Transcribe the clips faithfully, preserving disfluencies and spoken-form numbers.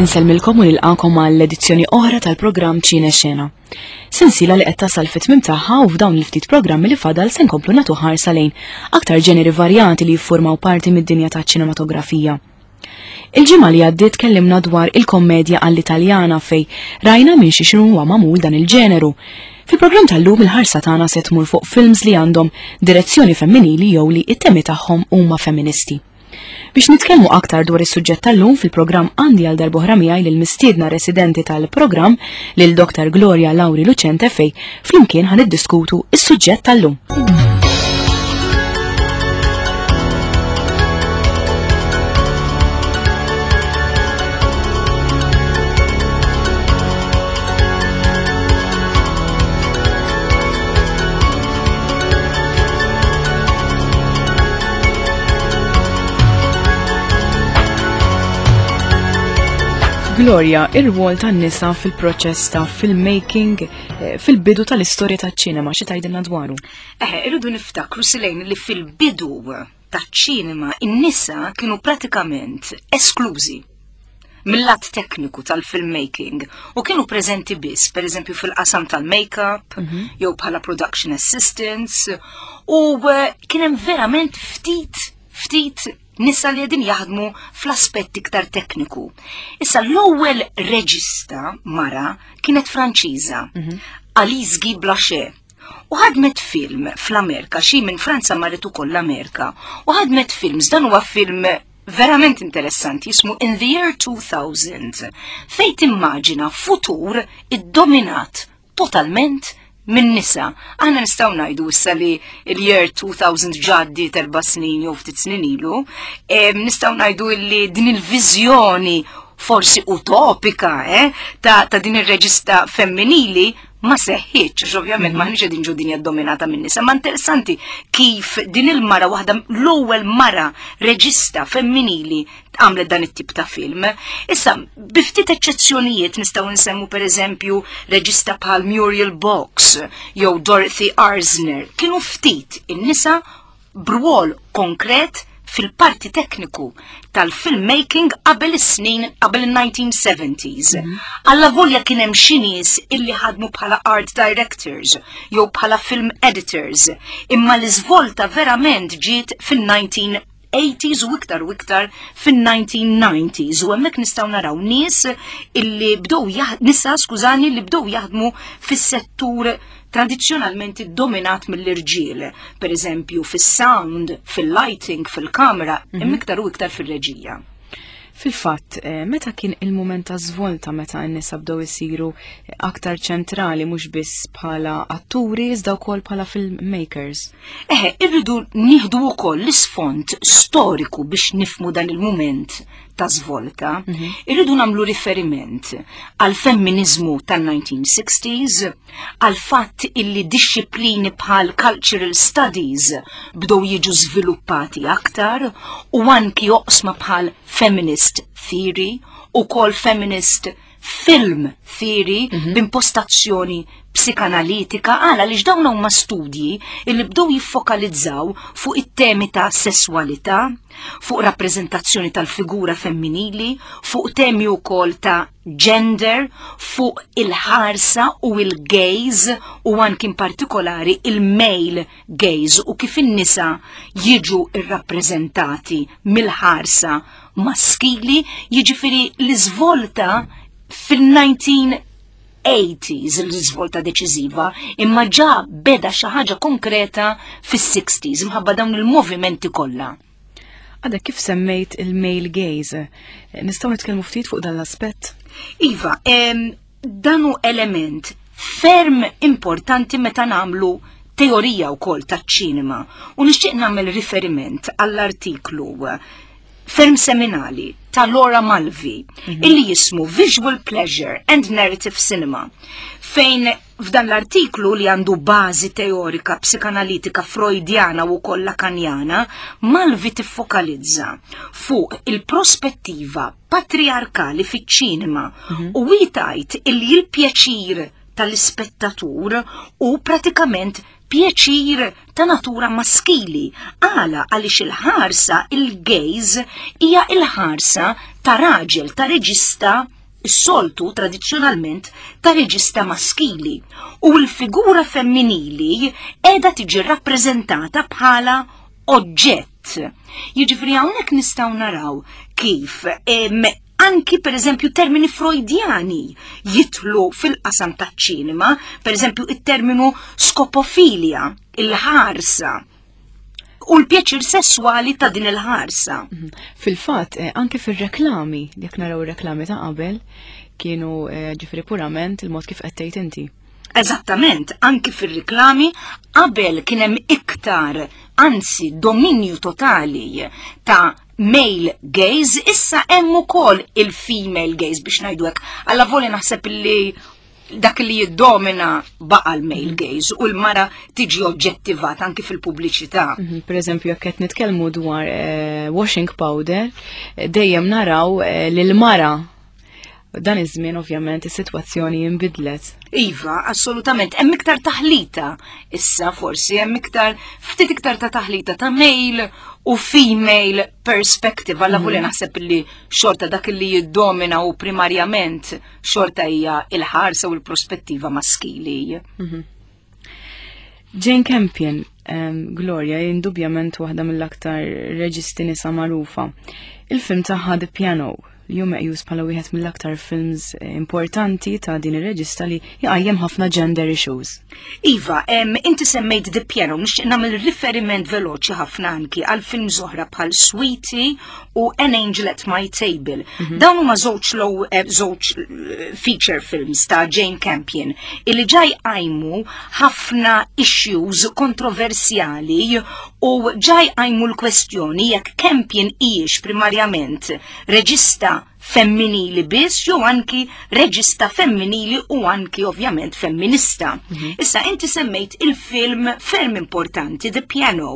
Insellmilkom u nilqakom għall-edizzjoni oħra tal-programm Ċine Xena. Sensiela li qed tasal fit-tmiem tagħha u f'dawn il-ftit programmi li fadal se nkomplu nagħtu ħarsa lejn aktar ġeneri varjati li jiffurmaw parti mid-dinja taċ-ċinematografija. Il-ġimgħa li għaddiet tkellimna dwar il-kommedja għall-Italjana fej rajna minn xi xinu huwa magħmul dan il-ġeneru. Fil-programm tal-lum il-ħarsa tagħna se tmur fuq films li għandhom direzzjoni femminili jew li it-temi tagħhom huma femministi. Biex nitkellmu aktar dwar is-suġġett tal-lum fil-programm għandi għal darb'oħra miegħi lil mistiedna residenti tal-programm lil Doktor Gloria Lauri Lucente fej flimkien ħa niddiskutu is-suġġett tal-lum. Gloria, ir-rwol tan-nisa fil-proċess ta' filmmaking eh, fil-bidu tal-istorja taċ-ċinema, xi tgħidilna dwaru? Eħe, irridu niftakru Silejn li fil-bidu taċ-ċinema in-nisa kienu pratikament esklużi mill-lat tekniku tal-filmmaking u kienu preżenti biss, per eżempju fil-qasam tal-make-up, mm-hmm. jew bħala production assistants, u eh, kien hemm verament ftit ftit nisa li qegħdin jaħdmu fl-aspett iktar tekniku. Issa l-ewwel reġista mara kienet Franċiża, mm-hmm. Alice Guy Blaché. U ħadmet film fl-Amerika, xi minn Franza marret ukoll l-Amerika, u ħadmet films, dan huwa film verament interessanti, jismu In the Year two thousand, fej timmaġina futur iddominat totalment minn nisa. Aħna nistgħu ngħidu issa li il-year two thousand ġaddi erba' snin jew ftit snin ilu, nistgħu ngħidu li din il-viżjoni forsi utopika eh, ta', ta' din ir-reġista femminili ma seħħitx, għax ovvjament mm -hmm. m'aħniex qegħdin ġo dinja dominata minn nisa, ma interessanti kif din il-mara, waħda l-ewwel mara reġista femminili, għamlet dan it-tip ta' film. Issa, bi ftit eċċezzjonijiet nistgħu nsemmu, per eżempju, reġista bħal Muriel Box jew Dorothy Arzner, kienu ftit in-nisa b'rwol konkret fil-parti tekniku tal-filmmaking qabel is-snin, qabel il-nineteen seventies. Mm -hmm. Alla volja kien hemm xi nies illi ħadmu bħala art directors jew bħala film editors, imma l-iżvolta verament ġiet fil-nineteen eighties u iktar u iktar fil-nineteen nineties, u hemmhekk nistgħu naraw nies illi bdew, nisa, skużani, li bdew jaħdmu fis-settur tradizzjonalment dominat mill-irġiel, per eżempju fis-sound, fil-lighting, fil-kamera, mm -hmm. iktar u iktar fil-reġija. Fil-fatt, eh, meta kien il-moment ta' svolta meta n-nisa bdew isiru aktar ċentrali, mhux biss bħala atturi iżda wkoll bħala filmmakers? Eħe, irridu nieħdu wkoll l-isfond storiku biex nifmu dan il-moment ta' svolta. Mm -hmm. Irridu nagħmlu riferiment għal femminizmu tan-nineteen sixties, għal fatt illi disċiplini bħal cultural studies bdew jiġu żviluppati aktar u anki oqsma bħal feminist theory u kol feminist film theory mm -hmm. b'impostazzjoni psikanalitika, għala li dawn huma studji illi bdew jiffokalizzaw fuq it-temi ta' sessualità, fuq rappreżentazzjoni tal-figura femminili, fuq temi wkoll ta' gender, fuq il-ħarsa u il-gaze u anki in partikolari il-male gaze u kif in-nisa jiġu irrappreżentati mill-ħarsa maskili, jiġifieri l-iżvolta fil-nineteen eighties, l-iżvolta deċiżiva, imma ġa beda xi ħaġa konkreta fis-sixties imħabba dawn il-movimenti kollha. Għadek kif semmejt il-male gaze, nistgħu nitkellmu ftit fuq dan l-aspett? Iva, em, dan hu element ferm importanti meta nagħmlu teorija wkoll taċ-ċinema u nixtieq nagħmel riferiment għall-artiklu ferm seminali ta' Laura Mulvey mm -hmm. illi jismu Visual Pleasure and Narrative Cinema, fejn f'dan l-artiklu, li għandu bażi teorika psikanalitika freudjana u koll lakanjana, Mulvey tiffokalizza fuq il-prospettiva patriarkali fiċ-ċinema mm -hmm. u tgħid illi il-pjaċir tal-ispettatur u pratikament pjaċir ta' natura maskili. Għala? Għaliex il-ħarsa, il-gaze, hija il-ħarsa ta' raġel, ta' reġista Is-soltu tradizzjonalment ta' reġista maskili u l-figura femminili qiegħda tiġi rappreżentata bħala oġġett. Jiġifieri hawnhekk nistgħu naraw kif em, anki per eżempju termini freudjani jidħlu fil-qasam taċ-ċinema, per eżempju it-terminu skopofilja, il-ħarsa, u l-pjaċir sessuali ta' din il-ħarsa. Mhm. Fil-fatt, eh, anke fil-reklami, jekk naraw ir-reklami ta' qabel, kienu eh, ġifieri purament il-mod kif qed tgħid inti. Eżattament, anki fil-reklami qabel kien hemm iktar, anzi dominju totali ta' male gaze, issa hemm ukoll il-female gaze biex ngħidu hekk. Allavolja naħseb li dak li jiddomina baqa l-male gaze u l-mara tiġi oġġettivata anki fil-pubbliċità. Mhm, Per eżempju, jekk qed nitkellmu dwar eh, washing powder, eh, dejjem naraw eh, lil mara. Dan iż-żmien ovvjament is-sitwazzjoni inbidlet. Iva, assolutament, hemm iktar taħlita. Issa forsi hemm iktar ftit iktar ta' taħlita ta' male u female perspective. Allavolja naħseb li xorta dak li jiddomina u primarjament xorta hija il-ħarsa u l-prospettiva maskili. Jane Campion, um, Gloria, indubjament waħda mill-aktar reġisti nisa magħrufa. Il-film tagħha The Piano, li hu meqjus bħala wieħed mill-aktar films eh, importanti ta' din ir-reġista li jqajjem ħafna gender issues. Iva, em, inti semmejt The Piano, nixtieq nagħmel riferiment veloċi ħafna anki għal film oħra bħal Sweetie u An Angel at My Table. Dawn huma żewġ low eh, żewġ eh, feature films ta' Jane Campion illi ġa jqajmu ħafna issues kontroversjali u ġa jqajmu l-kwestjoni jekk Campion hijiex primarjament reġista femminili biss jew anki reġista femminili u anki ovvjament femminista. Issa inti semmejt il-film ferm importanti The Piano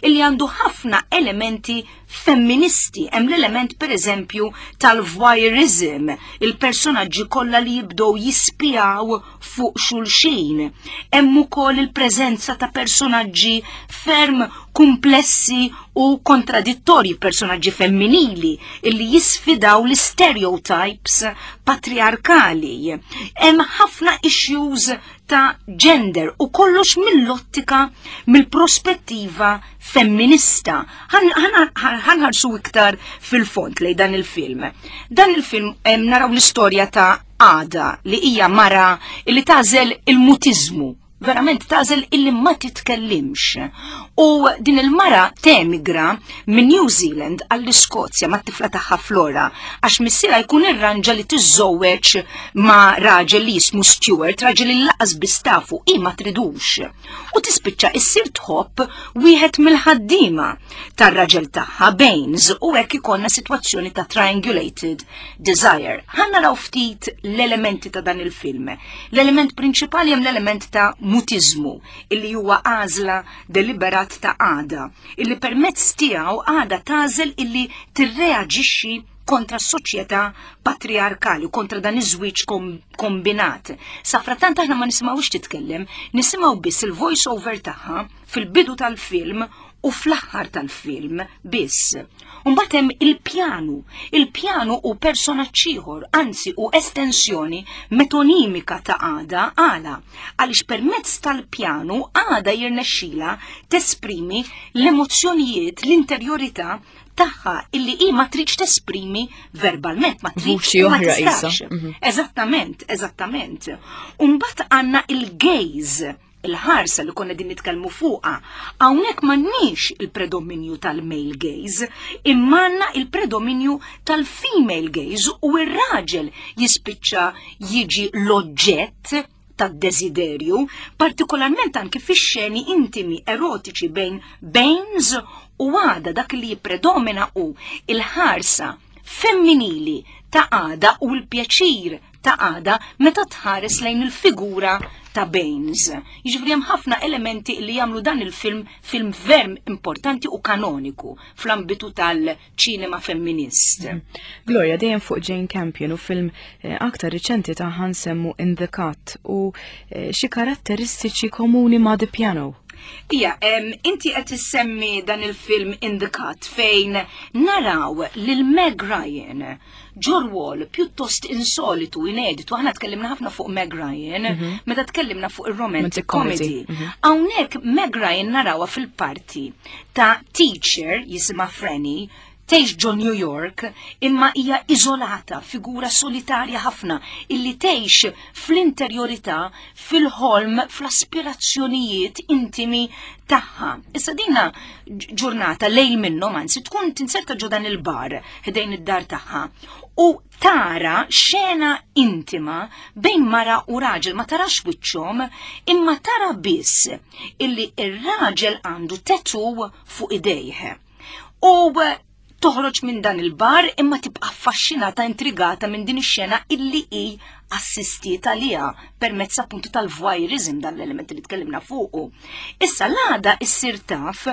illi għandu ħafna elementi femministi. Hemm l-element per eżempju tal-voyeurism, il-personaġġi kollha li jibdew jispijaw fuq xulxin. Hemm ukoll il-preżenza ta' personaġġi ferm komplessi u kontradittorji, personaġġi femminili illi jisfidaw l-stereotypes patriarkali. Hemm ħafna issues ta' gender u kollox mill-ottika, mill-prospettiva femminista. Ħa nħarsu iktar fil-fond lejn dan il-film. Dan il-film em, naraw l-istorja ta' Ada li hija mara li tagħżel il-mutizmu, verament tagħżel illi ma titkellimx. U din il-mara temigra minn New Zealand għall-Iskozja ma' tifla tagħha Flora għax missierha jkun irranġa li tiżżewweġ ma' raġel li jismu Stewart, raġel li lanqas biss tafu i ma tridux. U tispiċċa issir tħobb wieħed mill-ħaddiema tar-raġel tagħha Baines u hekk ikollna sitwazzjoni ta' triangulated desire. Ħa naraw ftit l-elementi ta' dan il-film. L-element prinċipali hemm l-element ta' mutizmu illi huwa għażla deliberat ta' Ada, illi permezz tiegħu Ada tagħżel illi tirreaġixxi kontra s-soċjetà patriarkali, kontra dan iż-żwieġ kom kombinat. Safrattant aħna ma nisimgħux titkellem, nisimgħu biss il-voice over tagħha fil-bidu tal-film u fl-aħħar tal-film biss. Mbagħad hemm il-pjanu. Il-pjanu hu personaġġ ieħor, anzi hu estensjoni metonimika ta' Ada għala. Għaliex permezz tal-pjanu Ada jirnexxila tesprimi l-emozzjonijiet, l-interjorità tagħha illi hi ma tridx tesprimi verbalment, ma tridx Vuċi u ma oħra tistax. isa. Mhm. Eżattament, eżattament. Umbagħad għandna il-gaze, il-ħarsa li konna din nitkellmu fuqha. Hawnhekk m'għandniex il-predominju tal-male gaze, imma għandna il-predominju tal-female gaze u ir-raġel jispiċċa jiġi l-oġġett tad-desiderju, partikolarment anki fix-xeni intimi erotiċi bejn Baines u Ada. Dak li jippredomina hu il-ħarsa femminili ta' Ada u l-pjaċir ta' Ada meta tħares lejn il-figura ta' Baines. Jiġifieri hemm ħafna elementi li jagħmlu dan il-film film ferm importanti u kanoniku fl-ambitu tal-ċinema femminist. Gloria, dejjem fuq Jane Campion u film eh, aktar riċenti ta' nsemmu In the Cut u eh, xi karatteristiċi komuni ma' The Piano. Ija, inti qed issemmi dan il-film In the Cut, fejn naraw lil Meg Ryan ġo rwol pjuttost insolitu, ineditu. Aħna tkellimna ħafna fuq Meg Ryan mhm. meta tkellimna fuq il-romantic comedy. Mhm. Hawnhekk Meg Ryan narawha fil-parti ta' teacher jisimha Franny, tgħix ġo New York, imma hija iżolata, figura solitarja ħafna, illi tgħix fl-interjorità, fil-ħolm, fl-aspirazzjonijiet intimi tagħha. Issa dina ġurnata, lejl minnhom anzi, tkun tinserta ġo dan il-bar ħdejn id-dar tagħha u tara xena intima bejn mara u raġel. Ma tarax wiċċhom, imma tara biss illi ir-raġel għandu tattoo fuq idejh. U toħroġ minn dan il-bar, imma tibqa' affaxxinata, intrigata minn din ix-xena illi hi assistiet għaliha permezz appuntu tal-voyeurism, dan l-element li tkellimna fuqu. Issa l-għada issir taf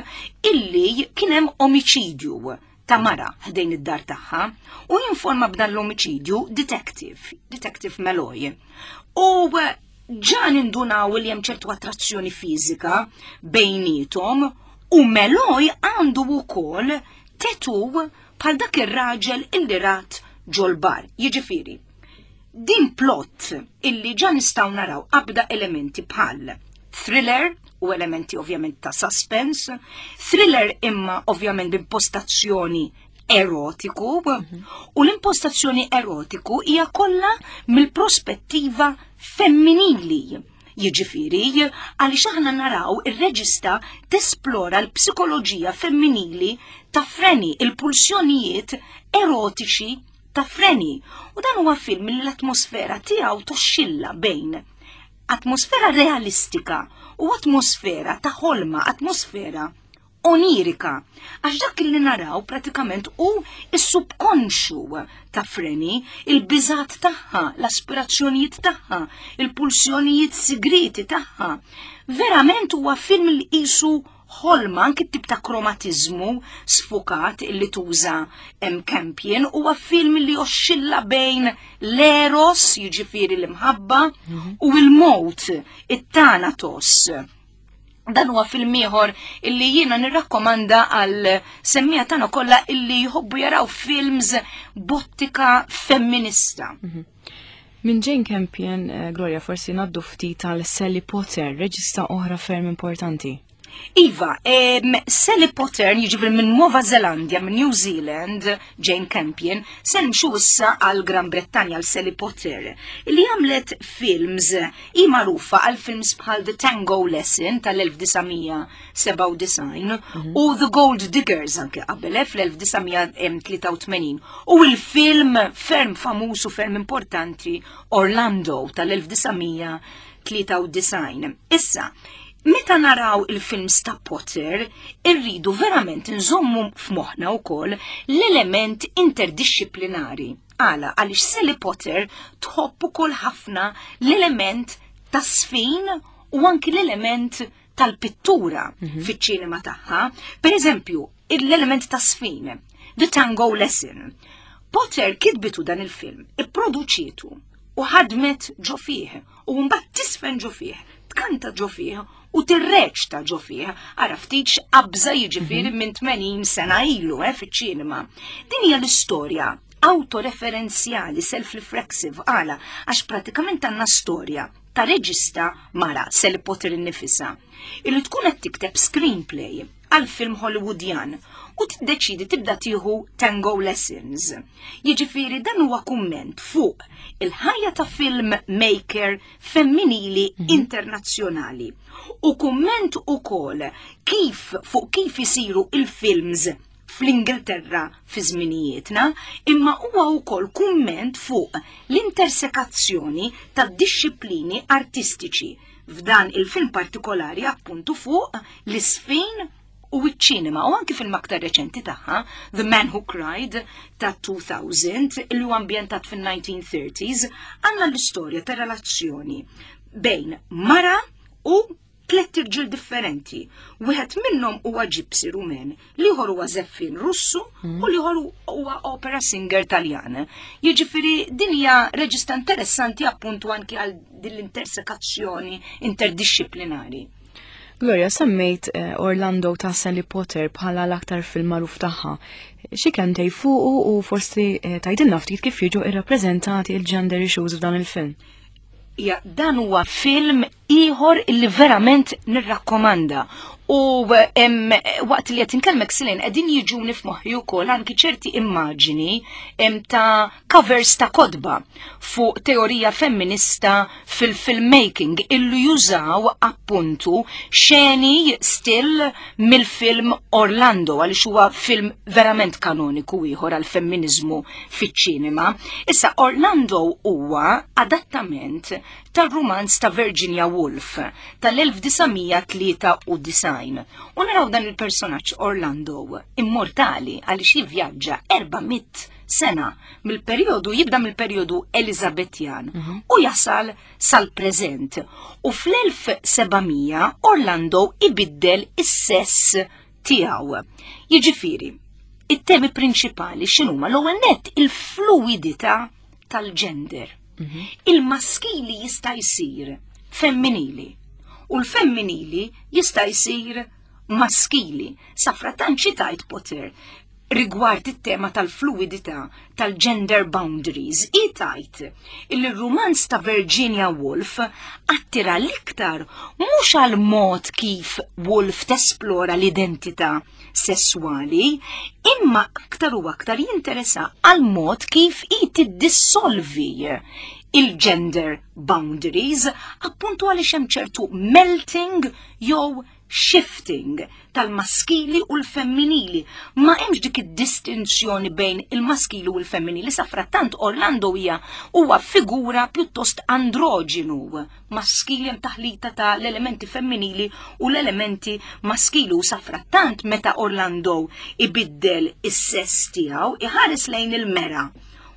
illi kien hemm omiċidju ta' mara ħdejn id-dar tagħha u jinforma b'dan l-omiċidju detective, Detective Malloy. U ġa nindunaw li hemm ċertu attrazzjoni fiżika bejnietom u Malloy għandu wkoll tattoo bħal dak ir-raġel illi rat ġol-bar. Jiġifieri, din plot illi ġa nistgħu naraw qabda elementi bħal thriller u elementi ovvjament ta' suspense, thriller imma ovvjament b'impostazzjoni erotiku, u l-impostazzjoni erotiku hija kollha mill-prospettiva femminili. Jiġifieri, għaliex aħna naraw ir-reġista tesplora l-psikoloġija femminili ta' Franny, il-pulsjonijiet erotiċi ta' Franny. U dan huwa film li l-atmosfera tiegħu toxxilla bejn atmosfera realistika u atmosfera ta' ħolma, atmosfera onirika. Għax dak li naraw pratikament hu is-subkonxu ta' Franny, il-biżat tagħha, l-aspirazzjonijiet tagħha, il-pulsjonijiet sigriti tagħha. Verament huwa film li qisu ħolma, anki tip ta' kromatizmu sfukat illi tuża Campion. Huwa film li joxxilla bejn l-eros, jiġifieri l-imħabba, u l-mowt, it-thanatos. Dan huwa film ieħor illi jiena nirrakkomanda għal semmiegħa tagħna kollha illi jħobbu jaraw films b'ottika femminista. Mhm. Minn Jane Campion, eh, Gloria, forsi ngħaddu ftit għal Sally Potter, reġista oħra ferm importanti. Iva, em, Sally Potter, jiġifieri minn Nuova Zelandia, minn New Zealand, Jane Campion, se nimxu issa għal Gran Brettanja, għal Sally Potter, li għamlet films, hi magħrufa għal films bħal The Tango Lesson tal-elf disa' mija sebgħa u disgħin u The Gold Diggers anke qabel eh, fl-elf disa' mija tlieta u tmenin u il-film ferm famuż u ferm importanti Orlando tal-elf disa' mija tlieta u disgħin. Issa, meta naraw il-films ta' Potter, irridu verament nżommu f'moħħna wkoll l-element interdisciplinari. Għala? Għaliex Sally Potter tħobb ukoll ħafna l-element ta' sfin u anki l-element tal-pittura fiċ-ċinema tagħha. Per eżempju, l-element ta' sfin, The Tango Lesson. Potter kitbitu dan il-film, ipproduċietu u ħadmet ġo fih u mbagħad tisfen ġo fih, tkanta ġo fih u tirreċta ġo fih. Ara ftit x'qabża, jiġifieri minn tmenin sena ilu eh, fiċ-ċinema. Din hija l-istorja autoreferenzjali, self-reflexive. Għala? Għax pratikament għandna storja ta' reġista mara, Sally Potter innifisha, illi tkun qed tikteb screenplay għal film Hollywoodjan u tiddeċidi tibda tieħu tango lessons. Jiġifieri dan huwa kumment fuq il-ħajja ta' film maker femminili internazzjonali u kumment ukoll kif fuq kif isiru il-films fl-Ingilterra fi żminijietna, imma huwa wkoll kumment fuq l-intersekazzjoni ta' disċiplini artistiċi, f'dan il-film partikolari appuntu fuq l-isfin u iċ-ċinema, u anki film aktar reċenti tagħha, The Man Who Cried ta' elfejn, li huwa ambjentat fin-nineteen thirties, għandna l-istorja ta' relazzjoni bejn mara u tlet irġiel differenti. Wieħed minnhom huwa gypsy Rumen, l-ieħor huwa żeffien Russu u l-ieħor huwa opera singer Taljan. Jiġifieri din hija reġista interessanti appuntu anki għal din l-intersekazzjoni interdisciplinari. Gloria, semmejt eh, Orlando ta' Sally Potter bħala l-aktar film magħruf tagħha. Xi kelmtejn fuqu u forsi eh, tgħidilna ftit kif jiġu irrappreżentati il-gender issues f'dan il-film. Ja, dan huwa film ieħor illi verament nirrakkomanda. U em, waqt li qed inkellmek, Silin, qegħdin jiġuni f'moħħi wkoll anki ċerti immaġini em, ta' covers ta' kotba fuq teorija femminista fil-filmmaking illu jużaw appuntu xeni still mill-film Orlando, għaliex huwa film verament kanoniku ieħor għal femminizmu fiċ-ċinema. Issa, Orlando huwa adattament tal-romanz ta' Virginia Woolf tal-elf disa' mija tlieta u disgħin. U naraw dan il-personaġġ Orlando immortali, għaliex jivvjaġġa erba' mitt sena mill-perjodu, jibda mill-perjodu Elizabetjan u jasal sal-preżent. U fl-elf seba' mija Orlando ibiddel is-sess tiegħu. Jiġifieri, it-temi prinċipali x'inhuma? L-ewwel nett, il-fluidità tal-gender. Il-maskili jista' jsir femminili u l-femminili jista' jsir maskili. Safratant xi tgħid Potter rigward it-tema tal-fluidità tal-gender boundaries? Hi tgħid il rumanz ta' Virginia Woolf attira l-iktar mhux għal mod kif Woolf tesplora l-identità sessuali, imma aktar u aktar jinteressa għal mod kif hi tiddissolvi il-gender boundaries, appuntu għaliex hemm ċertu melting jew shifting tal-maskili u l-femminili. Ma hemmx dik id-distinzjoni bejn il-maskili u l-femminili. Safrattant Orlando hija huwa figura pjuttost androġinu, maskili, hemm taħlita ta' l-elementi femminili u l-elementi maskili, u safrattant meta Orlando ibiddel is-sess tiegħu iħares lejn il-mera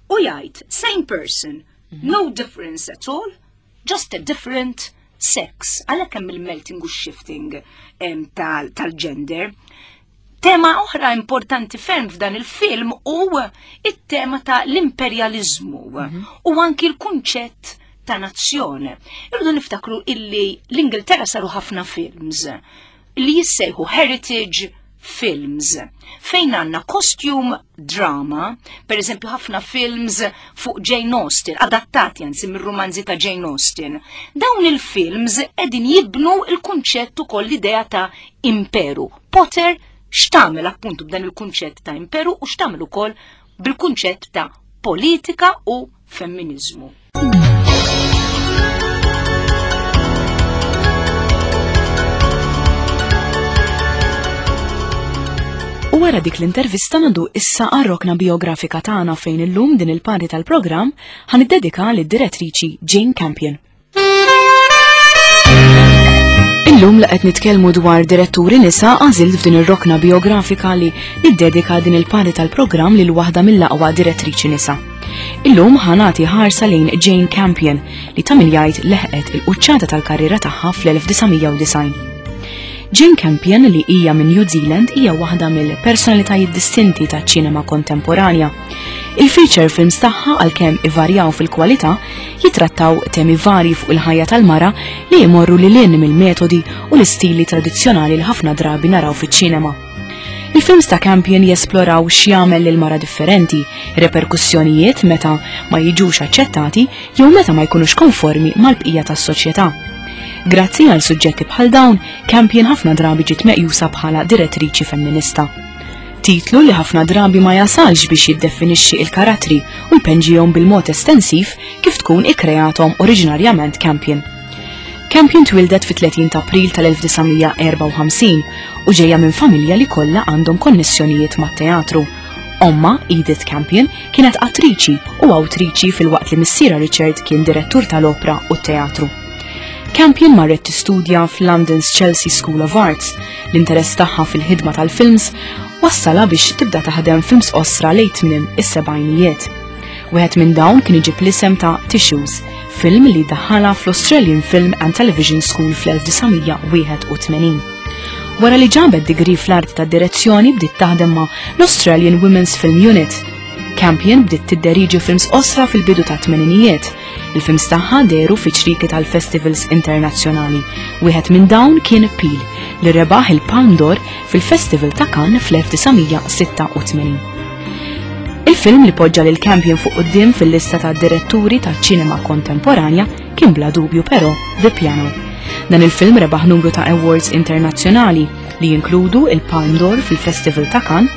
u jgħid, "Same person, no difference at all, just a different sex." Għalhekk hemm il-melting u shifting em, tal- tal-gender. Tema oħra importanti ferm f'dan il-film u it-tema ta' l-imperjalizmu u anki l-kunċett ta' nazzjon. Irridu niftakru illi l-Ingilterra saru ħafna films li jissejħu heritage films fejn għanna costume drama, per eżempju ħafna films fuq Jane Austen, adattati anzi mir-romanzi ta' Jane Austen. Dawn il-films edin jibnu il-kunċett ukoll l-idea ta' imperu. Potter x'tagħmel appuntu b'dan il-kunċett ta' imperu u x'tagħmel ukoll bil-kunċett ta' politika u femminizmu? U wara dik l-intervista ngħaddu issa għar-rokna biografika tagħna, fejn illum din il-parti tal-programm ħa niddedika lid-direttriċi Jane Campion. Illum li qed nitkellmu dwar diretturi nisa, għażilt f'din ir-rokna biografika li niddedika din il-parti tal-programm lil waħda mill-aqwa direttriċi nisa. Illum ħa nagħti ħarsa lejn Jane Campion, li ta' min jgħid leħqet il-quċċata tal-karriera tagħha fl-elf disa' mija u disgħin. Jane Campion, li hija minn New Zealand, hija waħda mill-personalitajiet distinti taċ-ċinema kontemporanja. Il-feature films tagħha, għalkemm ivarjaw fil-kwalità, jitrattaw temi varji fuq il-ħajja tal-mara li jmorru lil hinn mill-metodi u l-istili tradizzjonali li ħafna drabi naraw fiċ-ċinema. Il-films ta' Campion jesploraw x'jagħmel lil mara differenti, reperkussjonijiet meta ma jiġux aċċettati jew meta ma jkunux konformi mal-bqija tas-soċjetà. Grazzi għal suġġetti bħal dawn, Campion ħafna drabi ġiet meqjusa bħala direttriċi femminista. Titlu li ħafna drabi ma jasalx biex jiddefinixxi il-karattri u jpenġihom bil-mod estensiv kif tkun ikkreathom oriġinarjament Campion. Campion twildet fit-tletin ta' April tal-elf disa' mija erbgħa u ħamsin u ġejja minn familja li kollha għandhom konnessjonijiet mat-teatru. Omma, Edith Campion, kienet attriċi u awtriċi, filwaqt li missiera Richard kien direttur tal-opra u teatru. Campion marret tistudja f'London's Chelsea School of Arts. L-interess tagħha fil-ħidma tal-films wassala biex tibda taħdem films qosra lejn tmiem is-sebgħinijiet. Wieħed minn dawn kien iġib l-isem ta' Tissues, film li daħħala fl-Australian Film and Television School fl-elf disa' mija wieħed u tmenin. Wara li ġabet degree fl-arti ta' direzzjoni, bdiet taħdem ma' l-Australian Women's Film Unit. Campion bdiet tidderiġi films qosra fil-bidu ta' tmeninijiet. Il-films tagħha dehru fi ċrieki tal-festivals internazzjonali. Wieħed minn dawn kien Peel li rebaħ il-Palme d'Or fil-Festival ta' Cannes fl-elf disa' mija sitta u tmenin. Il-film li poġġa lil Campion fuq quddiem fil-lista ta' diretturi ta' ċinema kontemporanja kien bla dubju però The Piano. Dan il-film rebaħ numru ta' awards internazzjonali li jinkludu il-Palme d'Or fil-Festival ta' Cannes,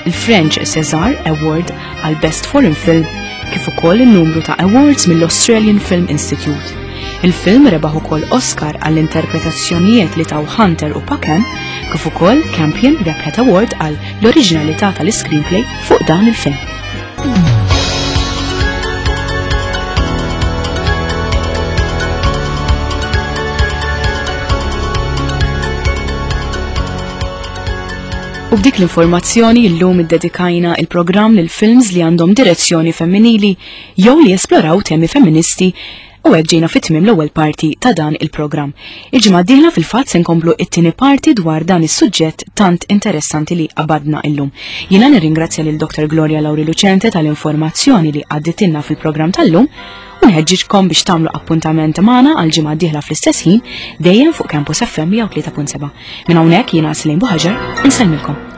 il-French César Award għal Best Foreign Film, kif ukoll il-numru ta' awards mill-Australian Film Institute. Il-film rebaħ ukoll Oscar għall-interpretazzjonijiet li taw Hunter u Paquin, kif ukoll Campion rebħet award għal l-oriġinalità tal-screenplay fuq dan il-film. U b'dik l-informazzjoni illum iddedikajna il-programm lil films li għandhom direzzjoni femminili jew li jesploraw temi femministi u hekk ġejna fit-tmiem l-ewwel parti ta' dan il-programm. Il-ġimgħa d-dieħla fil-fatt se nkomplu it-tieni parti dwar dan is-suġġett tant interessanti li qabadna illum. Jiena nirringrazzja lil Doktor Gloria Lauri Lucente tal-informazzjoni li għadditilna fil-programm tal-lum u nħeġġiġkom biex tagħmlu appuntament magħna għal ġimgħa d-dieħla fl-istess ħin, dejjem fuq Campus F M mija u tlieta punt seba'. Minn hawnhekk jiena Celine Buhagiar, insellmilkom.